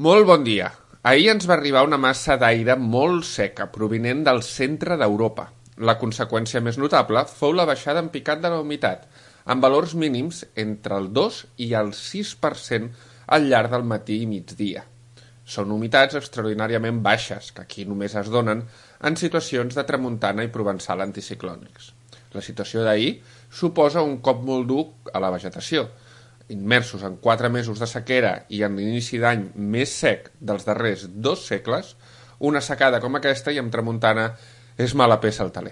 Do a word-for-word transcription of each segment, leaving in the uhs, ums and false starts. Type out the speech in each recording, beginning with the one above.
Molt bon dia. Ahir ens va arribar una massa d'aire molt seca provinent del centre d'Europa. La conseqüència més notable fou la baixada en picat de la humitat, amb valors mínims entre el dos i el sis per cent al llarg del matí i migdia. Són humitats extraordinàriament baixes, que aquí només es donen en situacions de tramuntana i provençal anticiclònics. La situació d'ahir suposa un cop molt dur a la vegetació. Immersos en quatre mesos de sequera i en l'inici d'any més sec dels darrers dos segles, una secada com aquesta i amb tramuntana és mala peça al teler.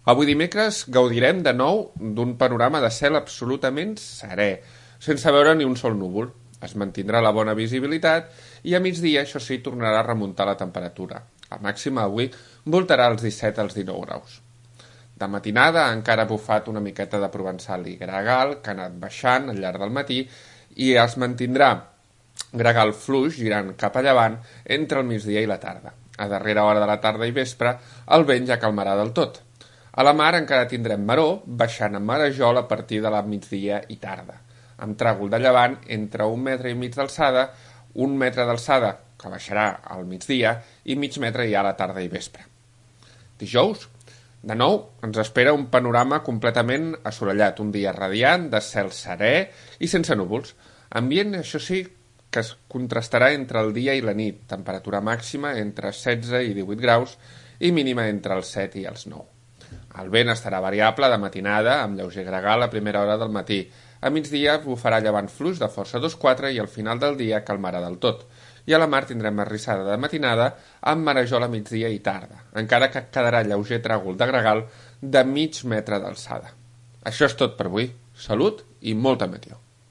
Avui dimecres gaudirem de nou d'un panorama de cel absolutament serè, sense veure ni un sol núvol. Es mantindrà la bona visibilitat i a migdia, això sí, tornarà a remuntar la temperatura. La màxima avui voltarà als disset als dinou graus. De matinada encara ha bufat una miqueta de provençal i gregal, que ha anat baixant al llarg del matí, i es mantindrà gregal fluix girant cap a llevant entre el migdia i la tarda. A darrera hora de la tarda i vespre, el vent ja calmarà del tot. A la mar encara tindrem maró, baixant a marejol a partir de la migdia i tarda, amb tràgol de llevant entre un metre i mig d'alçada, un metre d'alçada, que baixarà al migdia, i mig metre ja a la tarda i vespre. Dijous, de nou, ens espera un panorama completament assolellat, un dia radiant, de cel serè i sense núvols. Ambient, això sí, que es contrastarà entre el dia i la nit, temperatura màxima entre setze i divuit graus i mínima entre els set i els nou. El vent estarà variable de matinada, amb lleuger gregal a primera hora del matí. A migdia bufarà llevant fluix de força dos quatre i al final del dia calmarà del tot. I a la mar tindrem arrissada de matinada amb marejol a migdia i tarda, encara que quedarà lleuger tràgol de gregal de mig metre d'alçada. Això és tot per avui. Salut i molta meteo.